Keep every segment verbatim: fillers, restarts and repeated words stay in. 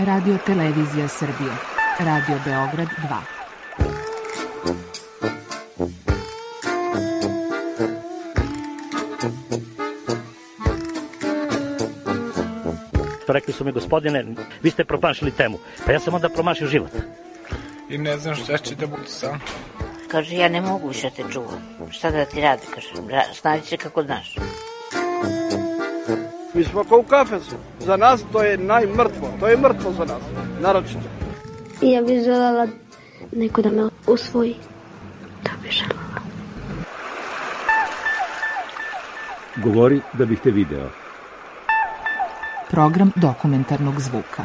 Radio Televizija Srbije, Radio Beograd dva. Rekli su mi, gospodine, vi ste promašili temu. Pa ja sam onda promašio život. I ne znam šta će da bude sam. Kaže, ja ne mogu više te čuvam. Šta da ti radi, kaže, snađi se kako znaš. Mi smo kao u kafesu. Za nas to je najmrtvo. To je mrtvo za nas, naročito. Ja bih želela neko da me usvoji. To bih želela. Govori da bih te video. Program dokumentarnog zvuka.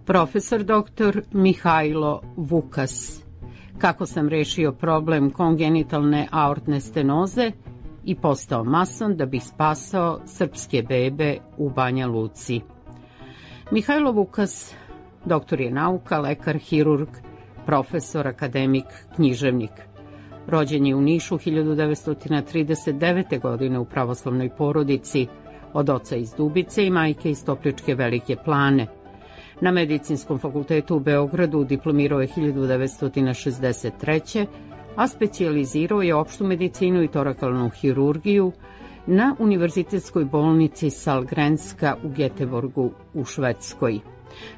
Profesor doktor Mihajlo Vukas. Kako sam rešio problem kongenitalne aortne stenoze i postao mason da bih spasao srpske bebe u Banja Luci. Mihajlo Vukas, doktor je nauka, lekar, hirurg, profesor, akademik, književnik. Rođen je u Nišu hiljadu devetsto trideset devete. godine u pravoslavnoj porodici, od oca iz Dubice i majke iz Topličke Velike Plane. Na Medicinskom fakultetu u Beogradu diplomirao je hiljadu devetsto šezdeset treće. a specijalizirao je opštu medicinu i torakalnu hirurgiju na Univerzitetskoj bolnici Sahlgrenska u Göteborgu u Švedskoj.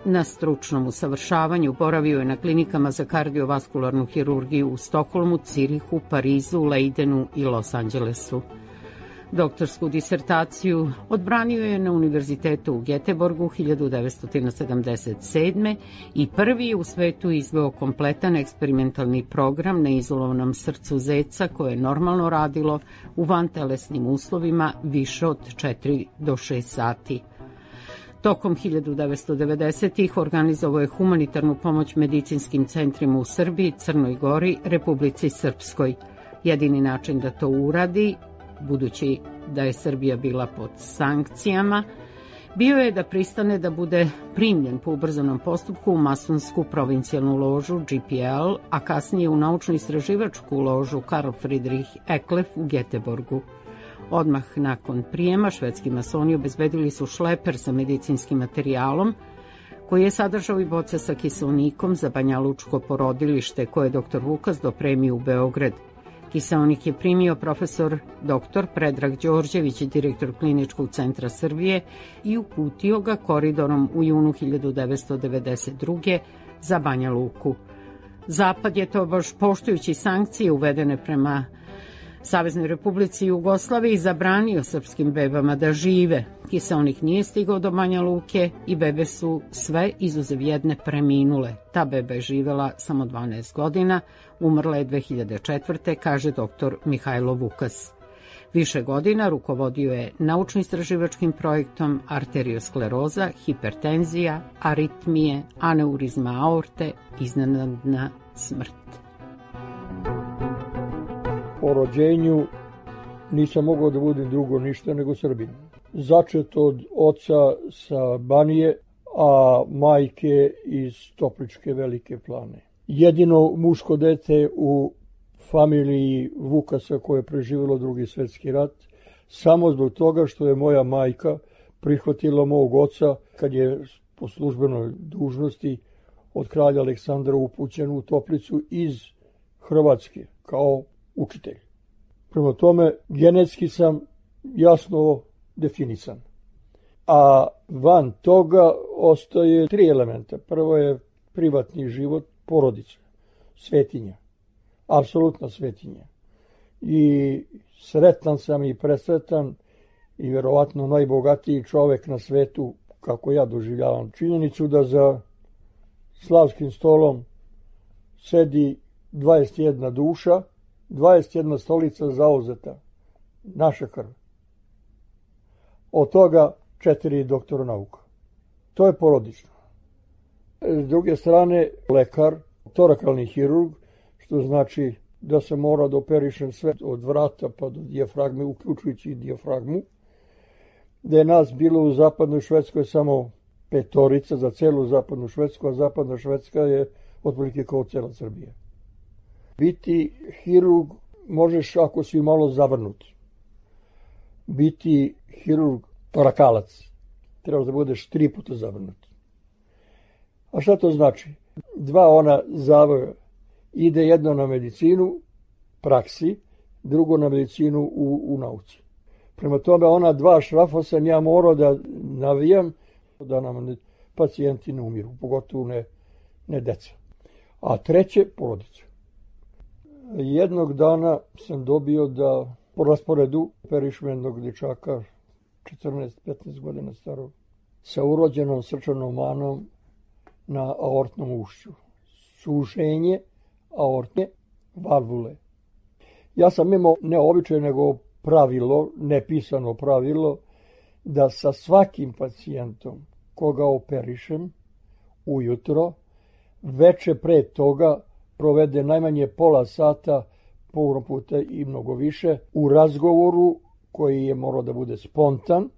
Na stručnom usavršavanju boravio je na klinikama za kardiovaskularnu hirurgiju u Stokholmu, Cirihu, Parizu, Leidenu i Los Angelesu. Doktorsku disertaciju odbranio je na Univerzitetu u Göteborgu hiljadu devetsto sedamdeset sedme. i prvi je u svetu izveo kompletan eksperimentalni program na izolovanom srcu zeca koje je normalno radilo u vantelesnim uslovima više od četiri do šest sati. Tokom hiljadu devetsto devedesetih. organizovao je humanitarnu pomoć medicinskim centrima u Srbiji, Crnoj Gori, Republici Srpskoj. Jedini način da to uradi, budući da je Srbija bila pod sankcijama, bio je da pristane da bude primljen po ubrzanom postupku u masonsku provincijalnu ložu G P L, a kasnije u naučno-istraživačku ložu Karl Friedrich Eklef u Göteborgu. Odmah nakon prijema švedski masoni obezbedili su šleper sa medicinskim materijalom, koji je sadržao i boce sa kiseonikom za banjalučko porodilište koje je doktor Vukas dopremio u Beograd. Kiseonik je primio profesor doktor Predrag Đorđević, direktor Kliničkog centra Srbije, i uputio ga koridorom u junu hiljadu devetsto devedeset druge. za Banja Luku. Zapad je to baš poštujući sankcije uvedene prema Saveznoj Republici Jugoslaviji zabranio srpskim bebama da žive. Kiseonik nije stigao do Banja Luke i bebe su sve izuzev jedne preminule. Ta beba je živela samo dvanaest godina, umrla je dve hiljade četvrte. kaže doktor Mihajlo Vukas. Više godina rukovodio je naučno-istraživačkim projektom arterioskleroza, hipertenzija, aritmije, aneurizma aorte, iznenadna smrt. Po rođenju nisam mogao da budem drugo ništa nego Srbin. Začet od oca sa Banije, a majke iz Topličke Velike Plane. Jedino muško dete u familiji Vukasa koje je preživjelo Drugi svjetski rat, samo zbog toga što je moja majka prihvatila mog oca kad je po službenoj dužnosti od kralja Aleksandra upućen u Toplicu iz Hrvatske kao učitelj. Prema tome, genetski sam jasno definisan. A van toga ostaje tri elementa. Prvo je privatni život, porodica, svetinja. Apsolutna svetinja. I sretan sam i presretan i vjerovatno najbogatiji čovek na svetu, kako ja doživljavam činjenicu, da za slavskim stolom sedi dvadeset jedna duša, dvadeset jedna stolica zauzeta, naša krv. Od toga četiri doktora nauka. To je porodično. S druge strane, lekar, torakalni hirurg, što znači da se mora da operišem sve od vrata pa do dijafragme, uključujući i dijafragmu, da je nas bilo u zapadnoj Švedskoj samo petorica za celu zapadnu Švedsku, a zapadna Švedska je otprilike kao cela Srbija. Biti hirurg možeš, ako si malo zavrnut, biti hirurg torakalac. Trebaš da budeš tri puta zavrnut. A šta to znači? Dva ona zavoja. Ide jedno na medicinu, praksi, drugo na medicinu u, u nauci. Prema tome, ona dva šrafa sam ja morao da navijam, da nam pacijenti ne umiru, pogotovo ne, ne deca. A treće, porodica. Jednog dana sam dobio da po rasporedu operišem jednog dječaka, četrnaest petnaest godina starog, sa urođenom srčanom manom na aortnom ušću. Sušenje aortne valvule. Ja sam imao ne običaj, nego pravilo, nepisano pravilo, da sa svakim pacijentom koga operišem ujutro, veče pre toga provede najmanje pola sata, puno puta i mnogo više, u razgovoru koji je morao da bude spontan,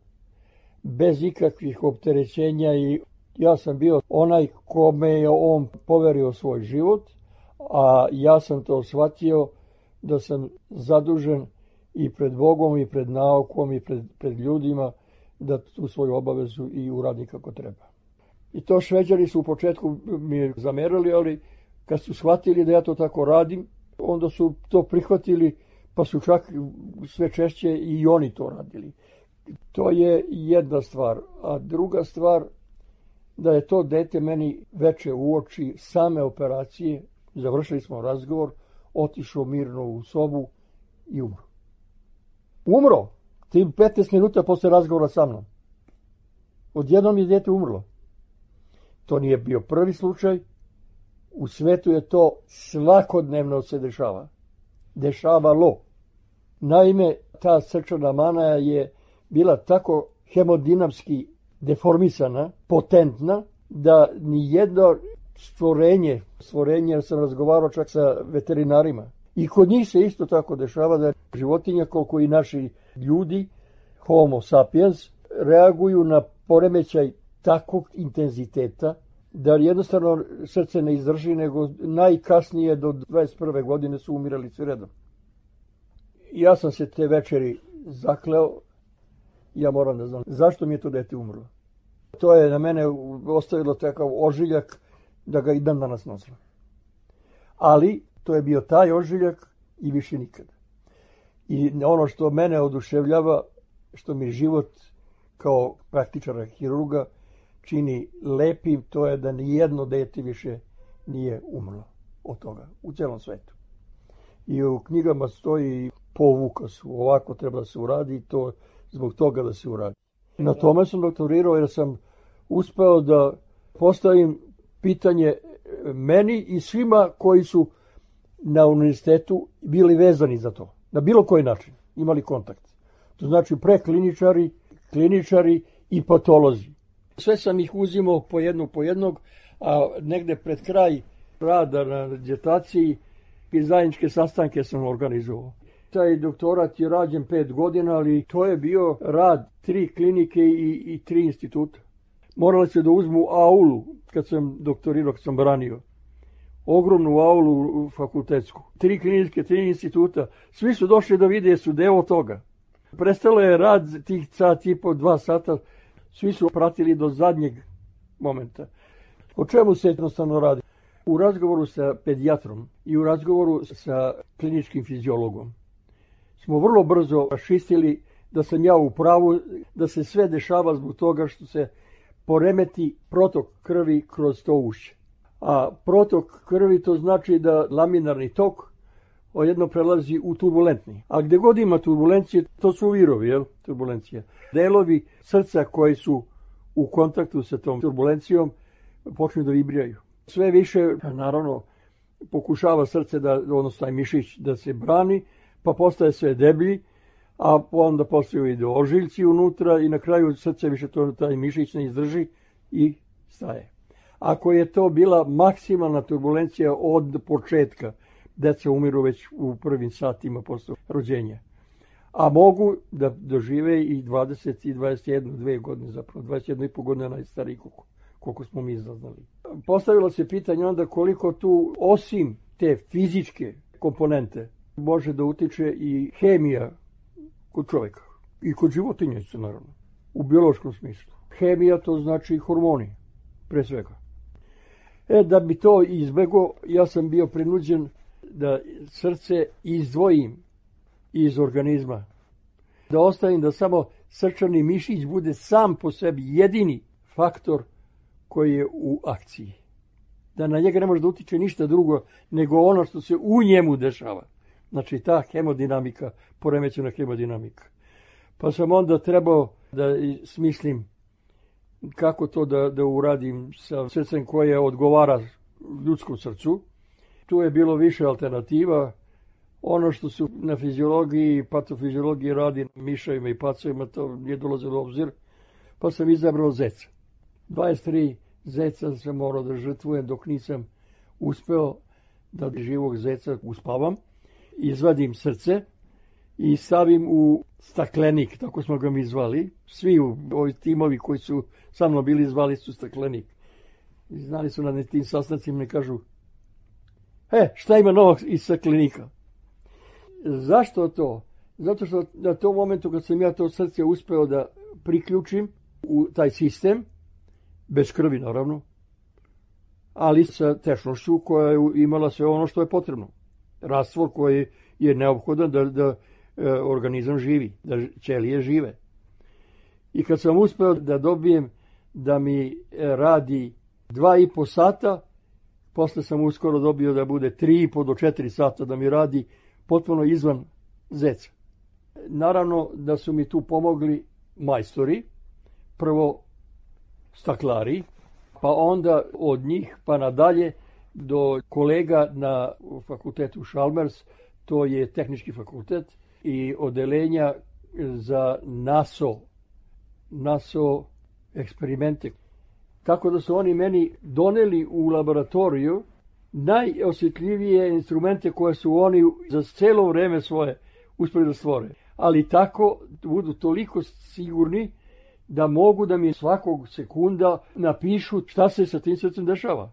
bez ikakvih opterećenja, i ja sam bio onaj kome je on poverio svoj život, a ja sam to shvatio da sam zadužen i pred Bogom i pred naukom i pred, pred ljudima da tu svoju obavezu i uradi kako treba. I to Šveđani su u početku mi zamerali, ali kad su shvatili da ja to tako radim, onda su to prihvatili, pa su čak sve češće i oni to radili. To je jedna stvar. A druga stvar, da je to dete meni veče u oči same operacije, završili smo razgovor, otišao mirno u sobu i umro. Umro! Tim petnaest minuta posle razgovora sa mnom. Odjednom je dete umrlo. To nije bio prvi slučaj. U svetu je to svakodnevno se dešava. Dešavalo. Naime, ta srčana mana je bila tako hemodinamski deformisana, potentna, da ni jedno stvorenje, stvorenje, jer sam razgovarao čak sa veterinarima, i kod njih se isto tako dešava da životinja, koliko i naši ljudi, homo sapiens, reaguju na poremećaj takvog intenziteta da jednostavno srce ne izdrži, nego najkasnije do dvadeset prve godine su umirali svi redom. Ja sam se te večeri zakleo, ja moram da znam zašto mi je to dete umrlo. To je na mene ostavilo takav ožiljak da ga i dan danas nosim. Ali to je bio taj ožiljak i više nikada. I ono što mene oduševljava, što mi život kao praktičara hirurga čini lepim, to je da nijedno dete više nije umrlo od toga u celom svetu. I u knjigama stoji po Vukasu, ovako treba da se uradi, to zbog toga da se uradi. Na tome sam doktorirao jer sam uspeo da postavim pitanje meni i svima koji su na univerzitetu bili vezani za to, na bilo koji način imali kontakt. To znači prekliničari, kliničari i patolozi. Sve sam ih uzimao po jednog po jednog, a negde pred kraj rada na dizertaciji i zajedničke sastanke sam organizovao. Taj doktorat je rađen pet godina, ali to je bio rad tri klinike i, i tri instituta. Morali se da uzmu aulu kad sam doktorirao, kad sam branio. Ogromnu aulu fakultetsku. Tri klinike, tri instituta. Svi su došli da vide, su deo toga. Prestalo je rad tih sat i po, dva sata. Svi su pratili do zadnjeg momenta. O čemu se jednostavno radi? U razgovoru sa pedijatrom i u razgovoru sa kliničkim fiziologom smo vrlo brzo raščistili da sam ja u pravu, da se sve dešava zbog toga što se poremeti protok krvi kroz to ušće. A protok krvi to znači da laminarni tok odjedno prelazi u turbulentni. A gde god ima turbulencije, to su virovi, jel? Turbulencija. Delovi srca koji su u kontaktu sa tom turbulencijom počnu da vibriraju. Sve više, naravno, pokušava srce, da, odnosno taj mišić, da se brani, pa postaje sve deblji, a onda postaju i ožiljci unutra i na kraju srce više to, taj mišić ne izdrži i staje. Ako je to bila maksimalna turbulencija od početka, deca umiru već u prvim satima posle rođenja. A mogu da dožive i dvadeset i dvadeset jednu, dve godine, zapravo dvadeset jednu i po godine najstariji koliko, koliko smo mi zaznali. Postavilo se pitanje onda koliko tu, osim te fizičke komponente, može da utiče i hemija kod čovjeka. I kod životinja isto, naravno. U biološkom smislu. Hemija to znači hormoni, pre svega. E, da bi to izbego, ja sam bio prinuđen da srce izdvojim iz organizma. Da ostavim da samo srčani mišić bude sam po sebi jedini faktor koji je u akciji. Da na njega ne može da utiče ništa drugo nego ono što se u njemu dešava. Znači ta hemodinamika, poremećena hemodinamika. Pa sam onda trebao da smislim kako to da, da uradim sa srcem koje odgovara ljudskom srcu. Tu je bilo više alternativa. Ono što su na fiziologiji i patofiziologiji radi miševima i pacovima, to nije dolazilo u obzir. Pa sam izabrao zeca. dvadeset tri zeca sam morao da žrtvujem dok nisam uspeo da živog zeca uspavam. Izvadim srce i stavim u staklenik, tako smo ga mi zvali. Svi ovi timovi koji su sa mnom bili zvali su staklenik. I znali su na tim sastancima, mi kažu, e, šta ima novog iz staklenika? Zašto to? Zato što na tom momentu kad sam ja to srce uspeo da priključim u taj sistem, bez krvi naravno, ali sa tečnošću koja je imala sve ono što je potrebno. Rastvor koji je neophodan da, da e, organizam živi, da ćelije žive. I kad sam uspeo da dobijem da mi e, radi dva i po sata, posle sam uskoro dobio da bude tri i po do četiri sata da mi radi potpuno izvan zeca. Naravno da su mi tu pomogli majstori, prvo staklari, pa onda od njih pa nadalje do kolega na fakultetu Chalmers, to je tehnički fakultet, i odelenja za NASO, NASO eksperimente. Tako da su oni meni doneli u laboratoriju najosjetljivije instrumente koje su oni za celo vreme svoje uspeli da stvore. Ali tako budu toliko sigurni da mogu da mi svakog sekunda napišu šta se sa tim srcem dešava.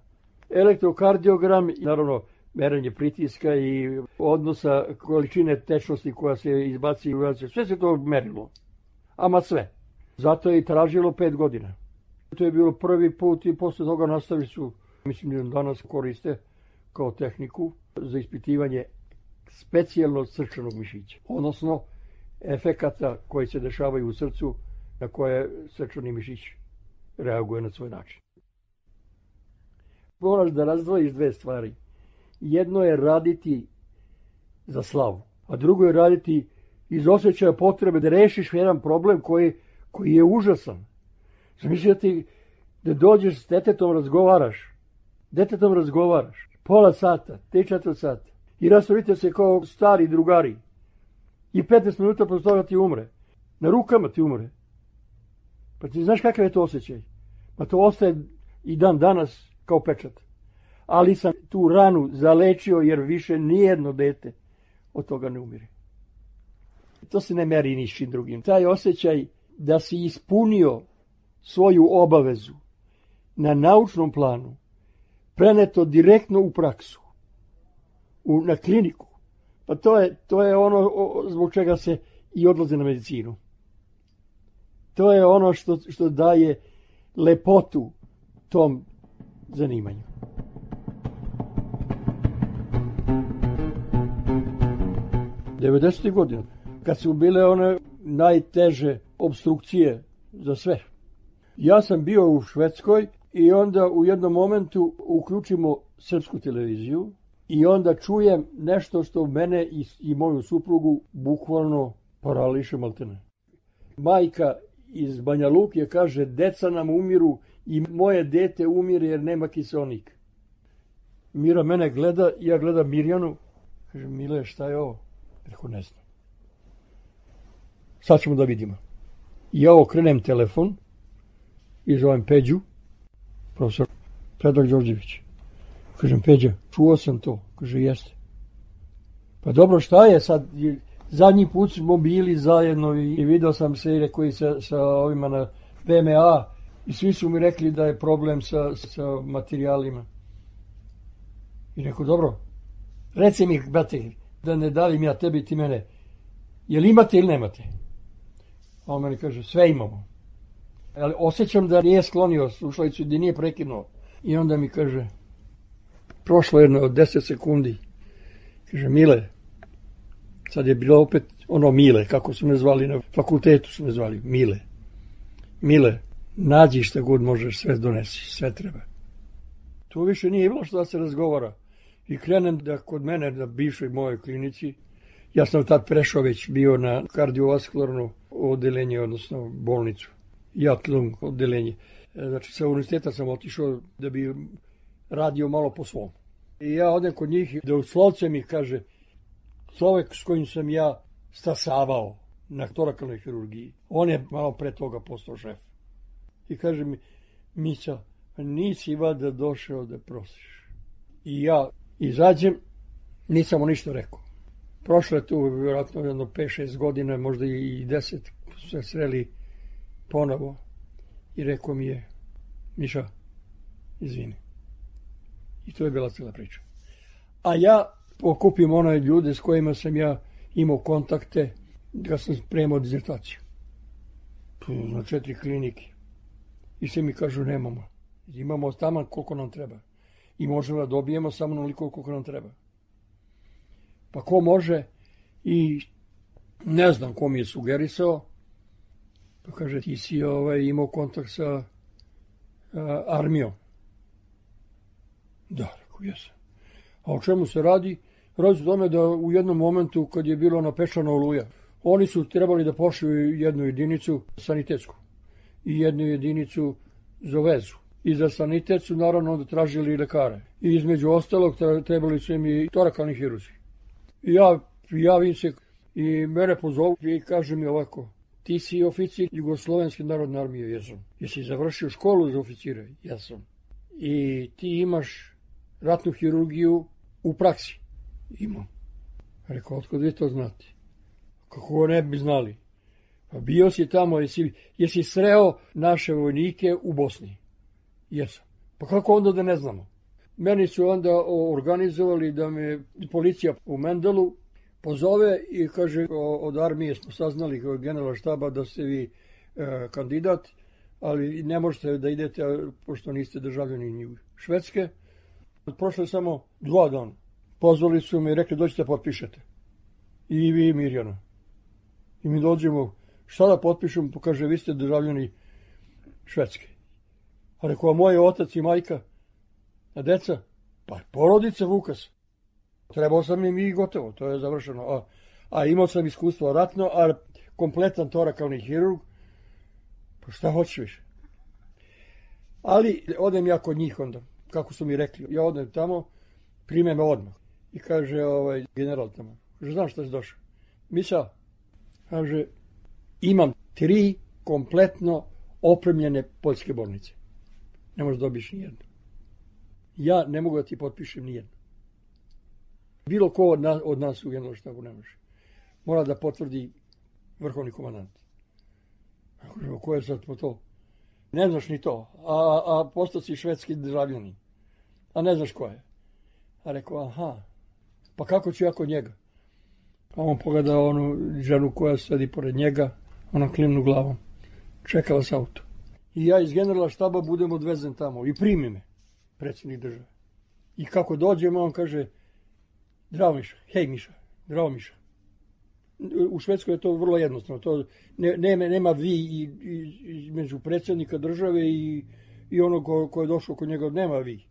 Elektrokardiogram, naravno merenje pritiska i odnosa količine tečnosti koja se izbaci, sve se to merilo. Ama sve. Zato je i tražilo pet godina. To je bilo prvi put i posle toga nastavili su, mislim da danas koriste kao tehniku za ispitivanje specijalnog srčanog mišića. Odnosno efekata koji se dešavaju u srcu na koje srčani mišić reaguje na svoj način. Moraš da razdvojiš dve stvari. Jedno je raditi za slavu, a drugo je raditi iz osjećaja potrebe da rešiš jedan problem koji, koji je užasan. Zamisli da ti da dođeš s detetom razgovaraš, detetom razgovaraš, pola sata, tri četiri sata i raspravite se kao stari drugari i petnaest minuta posle toga ti umre. Na rukama ti umre. Pa ti znaš kakav je to osjećaj? Pa to ostaje i dan danas kao pečat. Ali sam tu ranu zalečio jer više nijedno dete od toga ne umire. To se ne meri ničim drugim. Taj osjećaj da si ispunio svoju obavezu na naučnom planu, preneto direktno u praksu, u, na kliniku, pa to je, to je ono o, zbog čega se i odlaze na medicinu. To je ono što, što daje lepotu tom zanimanju. devedesetih godina, kad su bile one najteže obstrukcije za sve. Ja sam bio u Švedskoj i onda u jednom momentu uključimo srpsku televiziju i onda čujem nešto što mene i, i moju suprugu bukvalno parališe maltene. Majka iz Banja Luke kaže, deca nam umiru i moje dete umire jer nema kiseonik. Mira mene gleda, ja gledam Mirjanu, kaže, Mile, šta je ovo? Rekao, ne znam. Sad ćemo da vidimo. I ja okrenem telefon i zovem Peđu, profesor Predrag Đorđević. Kažem, Peđa, čuo sam to. Kaže, jeste. Pa dobro, šta je sad? Zadnji put smo bili zajedno i video sam se i rekao i sa, sa ovima na V M A i svi su mi rekli da je problem sa, sa materijalima. I rekao, dobro, reci mi, brate, da ne dalim ja tebi ti mene. Jel imate ili nemate? A on meni kaže, sve imamo. Ali osjećam da nije sklonio slušalicu, da nije prekinuo. I onda mi kaže, prošlo jedno od deset sekundi, kaže, Mile, sad je bilo opet ono Mile, kako su me zvali na fakultetu, su me zvali, Mile. Mile, nađi šta god možeš, sve donesi, sve treba. Tu više nije bilo što da se razgovara. I krenem da kod mene, na bivšoj mojoj klinici, ja sam tad prešao već bio na kardiovaskularno odeljenje, odnosno bolnicu. Jatlung odeljenje. Znači, sa univerziteta sam otišao da bi radio malo po svom. I ja odem kod njih i da u slovce mi kaže, čovjek s kojim sam ja stasavao na torakalnoj hirurgiji, on je malo pre toga postao šef. I kaže mi, Mića, nisi vada došao da prosiš. I ja izađem, nisam mu ništa rekao. Prošlo je tu vjerojatno jedno pet šest godina, možda i deset, su se sreli ponovo i rekao mi je, Miša, izvini. I to je bila cijela priča. A ja okupim one ljude s kojima sam ja imao kontakte kad sam spremao dizertaciju. Na četiri klinike. I sve mi kažu, nemamo. Imamo tamo koliko nam treba. I možemo da dobijemo samo onoliko koliko nam treba. Pa ko može? I ne znam ko mi je sugerisao. Pa kaže, ti si ovaj, imao kontakt sa a, armijom. Da, rekao, jesam. A o čemu se radi? Radi se o tome da u jednom momentu kad je bilo napečana Oluja, oni su trebali da pošlju jednu jedinicu sanitetsku i jednu jedinicu za vezu. I za sanitet su naravno onda tražili lekare. I između ostalog trebali su im i torakalni hirurzi. I ja javim se i mene pozovu i kaže mi ovako, ti si oficir Jugoslovenske narodne armije, jesam. Jesi završio školu za oficire? Jesam. I ti imaš ratnu hirurgiju u praksi? Imam. Rekao, otkud vi to znate? Kako ne bi znali? Pa bio si tamo, jesi, jesi sreo naše vojnike u Bosni? Jesam. Pa kako onda da ne znamo? Meni su onda organizovali da me policija u Mendelu pozove i kaže, od armije smo saznali kao generala štaba da ste vi e, kandidat, ali ne možete da idete pošto niste državljani Švedske. Prošlo je samo dva dana. Pozvali su me i rekli, dođite potpišete. I vi, Mirjana. I mi dođemo, šta da potpišemo? Pa kaže, vi ste državljani Švedske. A rekao, a moj otac i majka, a deca? Pa porodica Vukas. Trebao sam im i gotovo, to je završeno. A, a imao sam iskustvo ratno, a kompletan torakalni hirurg. Pa šta hoćeš više? Ali odem ja kod njih onda, kako su mi rekli. Ja odem tamo, prime me odmah. I kaže ovaj general tamo, kaže, znam šta si došao. Misa, kaže, imam tri kompletno opremljene poljske bolnice. Ne možeš dobiješ nijednu. Ja ne mogu da ti potpišem nijednu. Bilo ko od nas, od nas u generalštabu ne može. Mora da potvrdi vrhovni komandant. Kaže, ko je sad po to? Ne znaš ni to. A, a postao si švedski državljanin. A ne znaš ko je. A rekao, aha, pa kako ću ja kod njega? A on pogleda onu ženu koja sedi pored njega, ona klimnu glavom. Čekala s auto. I ja iz generala štaba budem odvezen tamo i primi me predsjednik države. I kako dođemo, on kaže, zdravo Miša, hej Miša, zdravo Miša. U Švedskoj je to vrlo jednostavno. To ne, nema, nema vi i, i, između predsjednika države i, i onog ko, ko je došao kod njega, nema vi.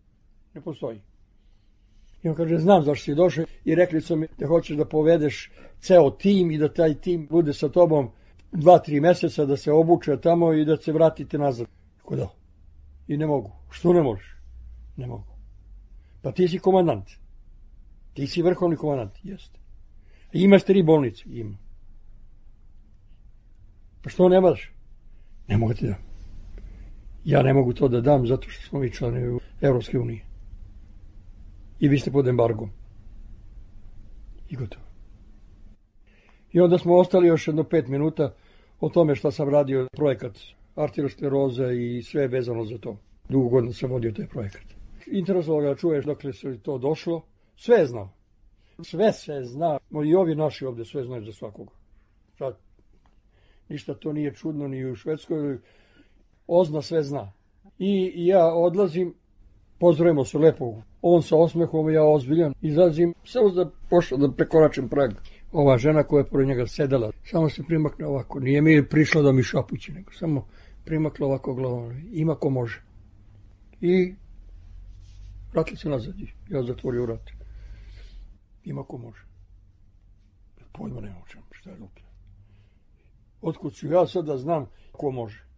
Ne postoji. I on kaže, znam zašto si došao i rekli su mi da hoćeš da povedeš ceo tim i da taj tim bude sa tobom dva, tri mjeseca, da se obuče tamo i da se vratite nazad. Kako da? I ne mogu. Što ne možeš? Ne mogu. Pa ti si komandant. Ti si vrhovni komandant. Jeste. Imaš tri bolnice? Ima. Pa što ne možeš? Ne mogu ti da. Ja ne mogu to da dam zato što smo mi članovi Evropske unije. I vi ste pod embargom. I gotovo. I onda smo ostali još jedno pet minuta o tome što sam radio projekat arterioskleroza i sve vezano za to. Dugo godina sam vodio taj projekat. Interesovalo ga da čuješ dokle se to došlo. Sve je znao. Sve se zna, i ovi naši ovdje sve znaju za svakoga. Sad, ništa to nije čudno ni u Švedskoj, Ozna sve zna. I ja odlazim, pozdravimo se lepo, on sa osmehom, ja ozbiljan, izlazim, samo da pošao da prekoračim prag. Ova žena koja je pored njega sedela, samo se primakne ovako, nije mi prišla da mi šapući, nego samo primakla ovako glavom, ima ko može. I vratili se nazad, ja zatvorio vrat. Ima ko može. Pojma nema o čemu, šta je lupio. Otkud ću ja sada znam ko može.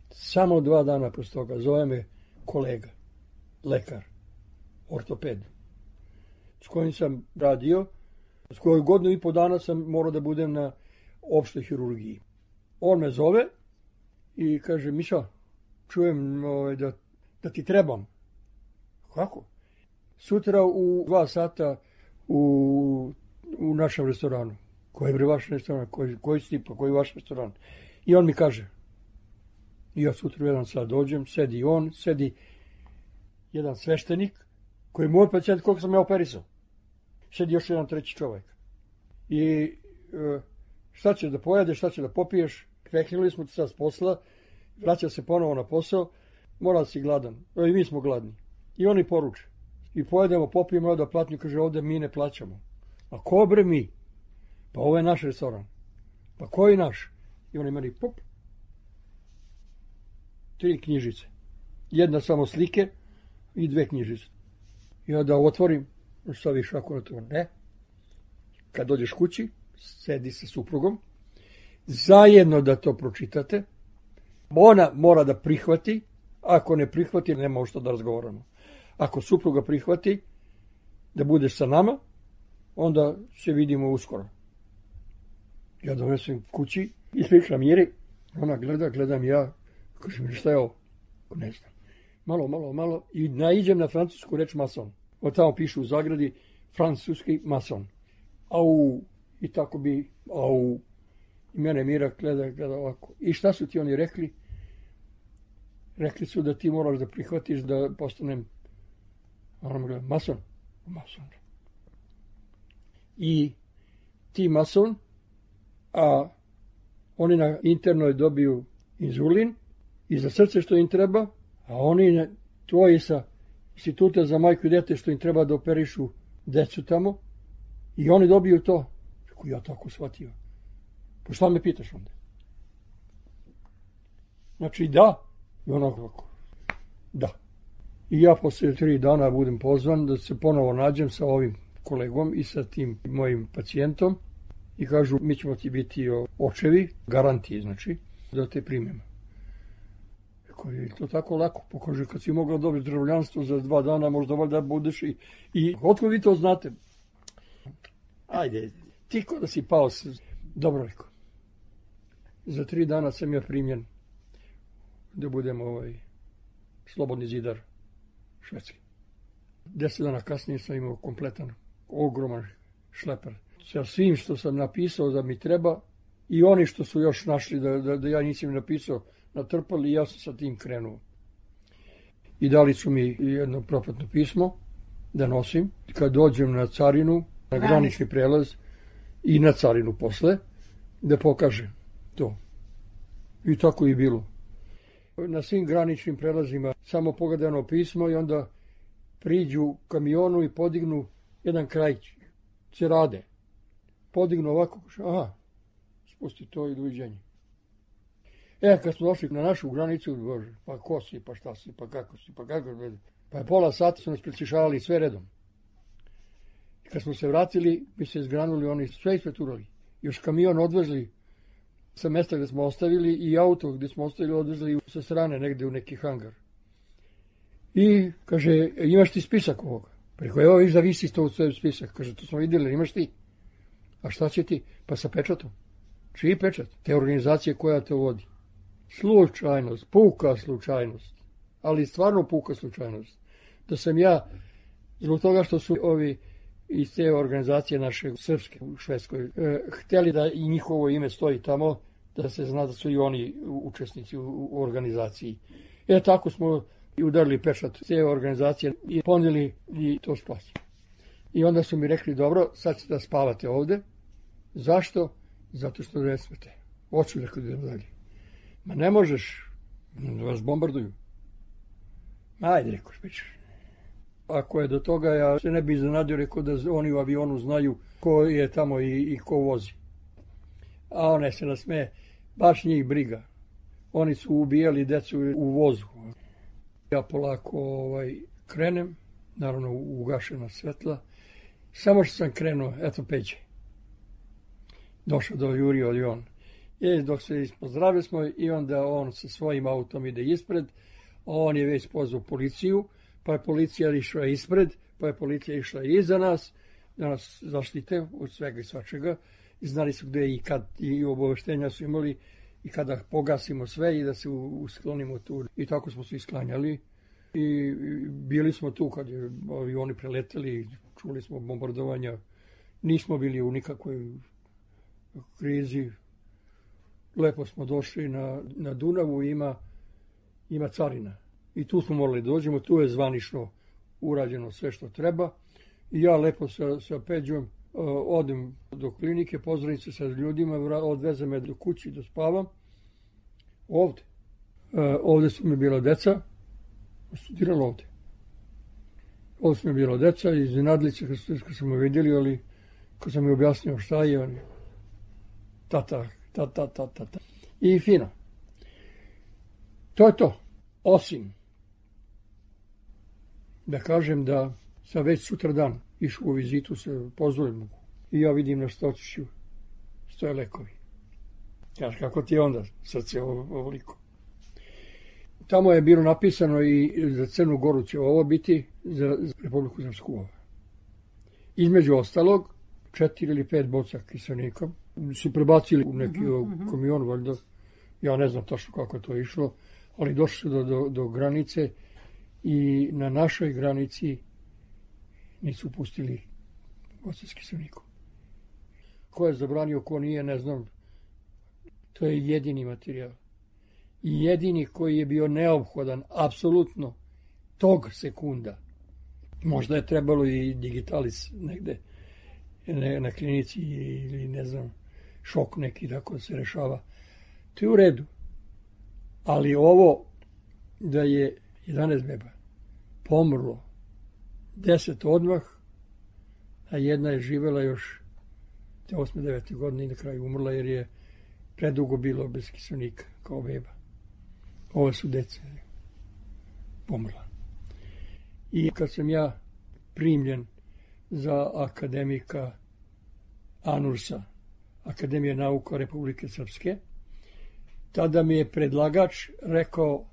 Samo dva dana posle toga zove me kolega, lekar, ortoped, s kojim sam radio, s kojoj godinu i po dana sam morao da budem na opštoj hirurgiji. On me zove i kaže, Miša, čujem ovaj, da, da ti trebam. Kako? Sutra u dva sata u, u našem restoranu. Koji je bre vaš restoran? Koji, koji stipa? Koji je vaš restoran? I on mi kaže, i ja sutra u jedan sat dođem, sedi on, sedi jedan sveštenik, koji je moj pacijent koliko sam ja operisao. Sedi još jedan treći čovjek. I e, šta ćeš da pojedeš, šta ćeš da popiješ? Prekinuli smo ti sad s posla, vraća se ponovo na posao, mora da si gladan. I mi smo gladni. I oni poruče. I pojedemo, popijemo, da platnju, kaže, ovdje mi ne plaćamo. A ko bre mi? Pa ovo je naš restoran. Pa koji naš? I oni meni, pop, tri knjižice. Jedna samo slike i dve knjižice. Ja da otvorim, staviš ako na to, ne. Kad dođeš kući, sedi sa suprugom, zajedno da to pročitate. Ona mora da prihvati, ako ne prihvati, nema što da razgovaramo. Ako supruga prihvati da budeš sa nama, onda se vidimo uskoro. Ja donesem kući, ispričam Miri, ona gleda, gledam ja, kaže mi, šta je ovo? Ne znam. Malo, malo, malo, i naiđem na francusku reč mason. Od tamo pišu u zagradi francuski mason. Au, i tako bi, au. I mene Mira gleda, gleda ovako. I šta su ti oni rekli? Rekli su da ti moraš da prihvatiš da postanem, ona me gleda, mason? Mason. I ti mason, a oni na internoj dobiju inzulin i za srce što im treba, a oni tvoji sa instituta za majku i dete što im treba da operišu decu tamo, i oni dobiju to. Kako ja tako shvatio? Pa šta me pitaš onda? Znači da, i onako, da. I ja posle tri dana budem pozvan da se ponovo nađem sa ovim kolegom i sa tim mojim pacijentom i kažu, mi ćemo ti biti očevi, garantiji, znači, da te primemo. Rekao, je to tako lako? Pokaže, kad si mogla dobiti državljanstvo za dva dana, možda valjda budeš i... I otkud vi to znate? Ajde, ti ko da si pao se... Dobro, rekao. Za tri dana sam ja primljen da budem ovaj slobodni zidar Švedske. Deset dana kasnije sam imao kompletan, ogroman šleper. Sa svim što sam napisao da mi treba i oni što su još našli da, da, da ja nisam napisao, natrpali i ja sam sa tim krenuo. I dali su mi jedno propratno pismo da nosim. Kad dođem na carinu, na granični prelaz i na carinu posle, da pokažem to. I tako i bilo. Na svim graničnim prelazima samo pogledano pismo i onda priđu kamionu i podignu jedan kraj cerade. Podignu ovako, aha, spusti to i doviđenje. E, kad smo došli na našu granicu, bože, pa ko si, pa šta si, pa kako si, pa kako si, pa je pola sata su nas preslišavali sve redom. I kad smo se vratili, mi se izgranuli, oni sve ispreturali. Još kamion odvezli sa mesta gde smo ostavili i auto gde smo ostavili odvezli sa strane negde u neki hangar. I kaže, imaš ti spisak ovoga? Preko, evo viš da visi to u svoj spisak. Kaže, to smo vidjeli, imaš ti? A šta će ti? Pa sa pečatom. Čiji pečat? Te organizacije koja te vodi. Slučajnost, puka slučajnost. Ali stvarno puka slučajnost. Da sam ja, zbog toga što su ovi iz te organizacije naše srpske u Švedskoj, e, htjeli da i njihovo ime stoji tamo, da se zna da su i oni učesnici u, u organizaciji. E tako smo i udarili pečat te organizacije i ponijeli i to spasi. I onda su mi rekli, dobro, sad ćete da spavate ovde. Zašto? Zato što ne smete. Hoću da idem dalje. Ma ne možeš, da vas bombarduju. Ajde, rekao, špećeš. Ako je do toga, ja se ne bi iznenadio, rekao da oni u avionu znaju ko je tamo i, i ko vozi. A one se nasmeje, baš njih briga. Oni su ubijali decu u vozu. Ja polako ovaj, krenem, naravno ugašena svetla. Samo što sam krenuo, eto Peđe. Došao do Jurio i on. I dok se ispozdravili smo i onda on sa svojim autom ide ispred. On je već pozvao policiju, pa je policija išla ispred, pa je policija išla iza nas, da nas zaštite od svega i svačega. I znali su gde i kad, i obaveštenja su imali i kada pogasimo sve i da se usklonimo tu. I tako smo se isklanjali i bili smo tu kad je avioni preleteli, čuli smo bombardovanja. Nismo bili u nikakvoj krizi. Lepo smo došli na, na Dunavu, ima, ima carina. I tu smo morali dođemo, tu je zvanično urađeno sve što treba. I ja lepo sa, sa Peđom uh, odem do klinike, pozdravim se sa ljudima, odveze me do kući da spavam. Ovde. Uh, ovde su mi bila deca, studirala ovde. Ovde su mi bila deca, iznenadili se kad, kad smo me vidjeli, ali kad sam mi objasnio šta je, oni tata, tata, tata, tata. I fino. To je to. Osim da kažem da sam već sutra dan išao u vizitu sa pozorima i ja vidim na stočiću stoje lekovi. Kaže, kako ti je onda srce ovoliko? Tamo je bilo napisano i za Crnu Goru će ovo biti, za Republiku Srpsku. Između ostalog, četiri ili pet boca kiselnika su prebacili u neki uh-huh. kamion, valjda. Ja ne znam tačno kako je to išlo, ali došli su do, do, do granice i na našoj granici nisu pustili boce s kiselnikom. Ko je zabranio, ko nije, ne znam. To je jedini materijal. I jedini koji je bio neophodan, apsolutno, tog sekunda. Možda je trebalo i digitalis negde ne, na klinici ili ne znam, šok neki tako se rešava. To je u redu. Ali ovo da je jedanaest beba pomrlo, deset odmah, a jedna je živela još te osme devete godine i na kraju umrla jer je predugo bilo bez kiselnika kao beba. Ove su dece pomrla. I kad sam ja primljen za akademika ANURS-a, Akademije nauka Republike Srpske, tada mi je predlagač rekao,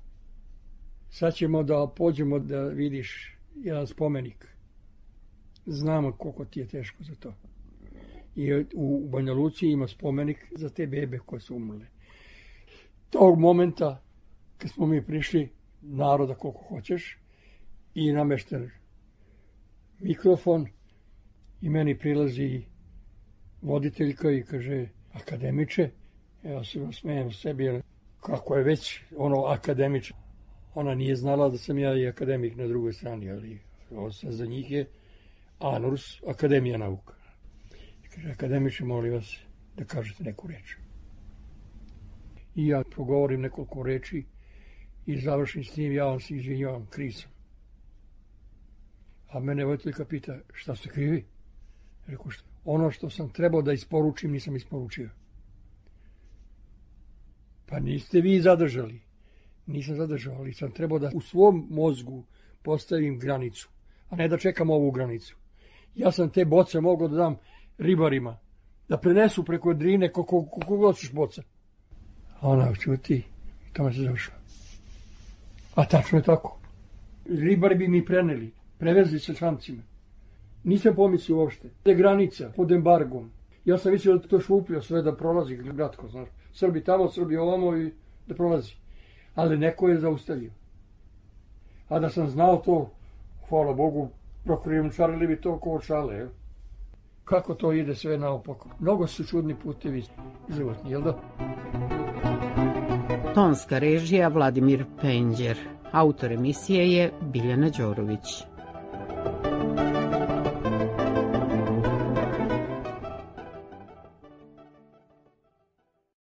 sad ćemo da pođemo da vidiš jedan spomenik. Znamo koliko ti je teško za to. I u Banja Luci ima spomenik za te bebe koje su umrle. Tog momenta, kad smo mi prišli, naroda koliko hoćeš, i namešten mikrofon, i meni prilazi voditeljka i kaže, akademiče, ja se smijem sebi, kako je već ono akademiče. Ona nije znala da sam ja i akademik na drugoj strani, ali ovo sad za njih je ANURS, Akademija nauka. I kaže, akademiče, molim vas da kažete neku reč. I ja progovorim nekoliko reči i završim s tim, ja vam se izvinjavam, kriv sam. A mene voditeljka pita, šta ste krivi? Rekao, što? Ono što sam trebao da isporučim, nisam isporučio. Pa niste vi zadržali. Nisam zadržao, ali sam trebao da u svom mozgu postavim granicu, a ne da čekam ovu granicu. Ja sam te boce mogao da dam ribarima, da prenesu preko Drine koliko hoćeš boca. A ona čuti, tamo se završila. A tačno je tako. Ribari bi mi preneli, prevezli sa čamcima. Nisam pomislio uopšte. Je granica pod embargom. Ja sam mislio da to šupio sve da prolazi gratko, znaš. Srbi tamo, Srbi ovamo i da prolazi. Ali neko je zaustavio. A da sam znao to, hvala Bogu, prokrijumčarili bi to ko šale. Je. Kako to ide sve naopako. Mnogo su čudni putevi životni, jel da? Tonska režija Vladimir Penđer. Autor emisije je Biljana Đorović.